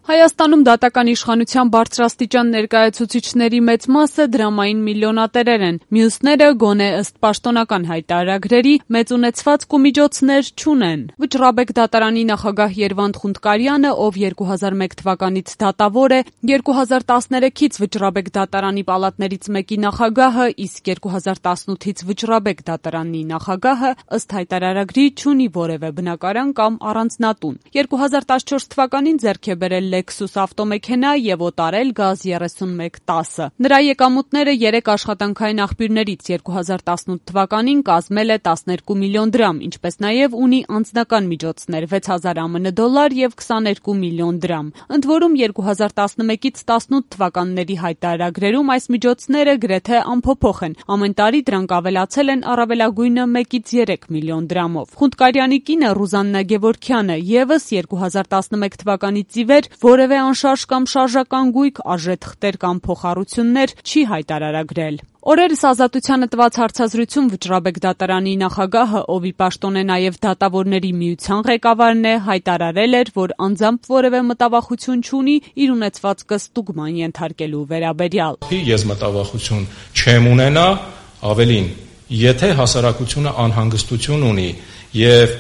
Հայաստանում դատական իշխանության բարձրաստիճան ներկայացուցիչների մեծ մասը դրամային միլիոնատերեր են, մյուսները գոնե ըստ պաշտոնական հայտարարագրերի մեծ ունեցվածք ու միջոցներ չունեն։ Վճռաբեկ դատարանի նախագահ Երվանդ Խունդկարյանը, ով 2001 թվականից դատավոր է, 2013-ից Վճռաբեկ դատարանի պալատներից մեկի նախագահը, իսկ 2018-ից Վճռաբեկ դատարանի նախագահը ըստ հայտարարագրի չունի որևէ բնակարան կամ առանձնատուն։ 2014 թվականին ձեռք է բերել Lexus ավտոմեքենա եւ օտարել գազ 3110-ը։ Նրա եկամուտները 3 աշխատանքային աղբյուրներից 2018 թվականին կազմել է 12 միլիոն դրամ, ինչպես նաեւ ունի անձնական միջոցներ 6000 ԱՄՆ դոլար եւ 22 միլիոն դրամ։ Ընդ որում 2011-ից 18 թվականների հայտարարագրերում այս միջոցները գրեթե անփոփոխ են։ Ամեն տարի դրանք ավելացել են առավելագույնը 1-ից 3 միլիոն դրամով։ Խունդկարյանի կինը Ռուզաննա Գևորգյանը եւս 2011 թվականից ի վեր որևէ անշարժ կամ շարժական գույք, արժեթղթեր կամ փոխառություններ չի հայտարարագրել։ Օրերս Ազատությանը տված հարցազրույցում Վճռաբեկ դատարանի նախագահը, ով ի պաշտոն է նաև դատավորների միության ղեկավարն է, հայտարարել էր, որ անձամբ որևէ մտավախություն չունի իր ունեցվածքը ստուգման ենթարկելու վերաբերյալ։ Ես մտավախություն չեմ ունենա, ավելին, եթե հասարակությունը անհանգստություն ունի եւ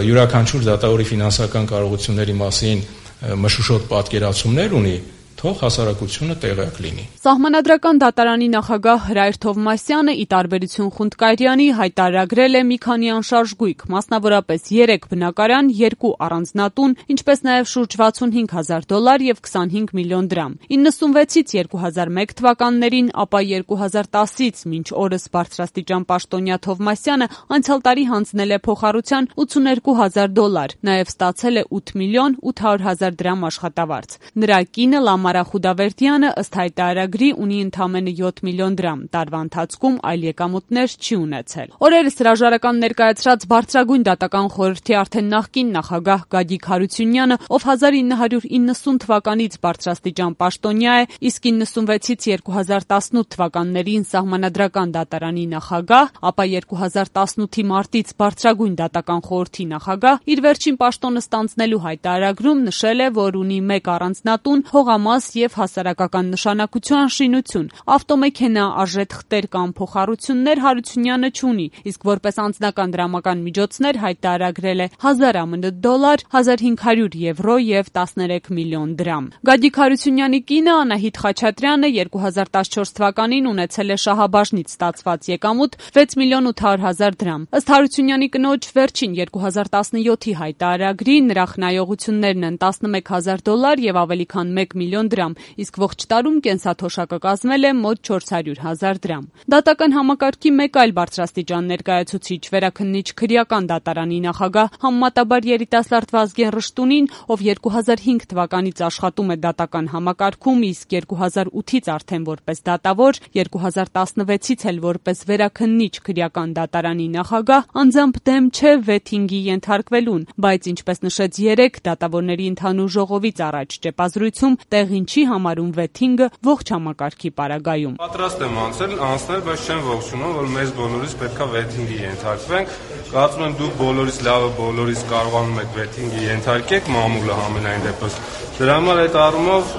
յուրաքանչյուր դատավորի ֆինանսական կարողությունների մասին մշուշոտ պատկերացումներ ունի, թող հասարակությունը տեղյակ լինի։ Սահմանադրական դատարանի նախագահ Հրայր Թովմասյանը, ի տարբերություն Խունդկարյանի, հայտարարագրել է մի քանի անշարժ գույք, մասնավորապես 3 բնակարան, 2 առանձնատուն, ինչպես նաև շուրջ 65 հազար դոլար եւ 25 միլիոն դրամ։ 96-ից 2001 թվականներին, ապա 2010-ից մինչ օրս բարձրաստիճան պաշտոնյա Թովմասյանը անցյալ տարի հանձնել է փոխառության 82 հազար դոլար, նաև ստացել է 8 միլիոն 800 հազար դրամ աշխատավարձ։ Նրա կինը Լամարա Խուդավերդյանը ըստ հայտարարագրի ունի ընդամենը 7 միլիոն դրամ, տարվա ընթացքում այլ եկամուտներ չի ունեցել։ Օրերս հրաժարական ներկայացրած Բարձրագույն դատական խորհրդի արդեն նախկին նախագահ Գագիկ Հարությունյանը, ով 1990 թվականից բարձրաստիճան պաշտոնյա է, իսկ 96-ից 2018 թվականներին Սահմանադրական դատարանի նախագահ, ապա 2018-ի մարտից Բարձրագույն դատական խորհրդի նախագահ, իր վերջին պաշտոնը ստանձնելու հայտարարագրում նշել է, որ ունի 1 առանձնատուն, հողամաս եւ հասարակական նշանակության շինություն, ավտոմեքենա, արժեթղթեր կամ փոխառություններ Հարությունյանը չունի, իսկ որպես անձնական դրամական միջոցներ հայտարարագրել է 1000 ԱՄՆ դոլար, 1500 եվրո եւ 13 միլիոն դրամ։ Գագիկ Հարությունյանի կինը Անահիտ Խաչատրյանը 2014 թվականին ունեցել է շահաբաժնից ստացված եկամուտ 6 միլիոն 800 հազար դրամ։ Ըստ Հարությունյանի կնոջ վերջին 2017-ի հայտարարագրի նրա խնայողություններն են 11 հազար դոլար եւ ավելի քան 1 միլիոն դրամ, իսկ ողջ տարում կենսաթոշակը կազմել է մոտ 400 հազար դրամ։ Դատական համակարգի մեկ այլ բարձրաստիճան ներկայացուցիչ, վերաքննիչ քրեական դատարանի նախագահ համեմատաբար երիտասարդ Վազգեն Ռշտունին, ով 2005 թվականից աշխատում է դատական համակարգում, իսկ 2008-ից արդեն որպես դատավոր, 2016-ից էլ որպես վերաքննիչ քրեական դատարանի նախագահ, անձամբ դեմ չէ վեթինգի ենթարկվելուն, բայց ինչպես նշեց 3 դատավորների ընդհանուր ժողովից առաջ ճեպազրույցում, տեղին չի համարում վեթինգը ողջ համակարգի պարագայում։ Պատրաստ եմ անցնել, բայց չեմ ողջունում, որ մեզ բոլորիս պետքա վեթինգի ենթարկվենք։ Կարծում եմ դուք բոլորիս լավը բոլորիս կարողանում եք վեթինգի ենթարկեք, մամուլը համենայն դեպս։ Դրա համար այդ առումով,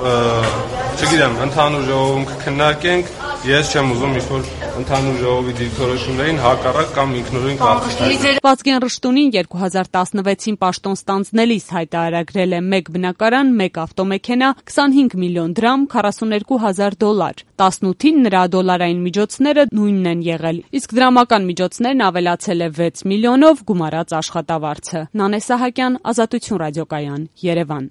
չգիտեմ, ընդհանուր ժողովում կքննարկենք, ես չեմ ուզում ինչ-որ ընդհանուր ժողովի դիրքորոշումներին հակառակ կամ ինքնուրույն կարգել։ Վազգեն Ռշտունին 2016-ին պաշտոն ստանձնելիս հայտարարագրել է 1 բնակարան, 1 ավտոմեքենա, 25 միլիոն դրամ, 42 հազար դոլար։ 18-ին նրա դոլարային միջոցները նույնն են եղել, իսկ դրամական միջոցներն ավելացել է 6 միլիոնով, գումարած աշխատավարձը։ Նանե Սահակյան, Ազատություն ռադիոկայան, Երևան։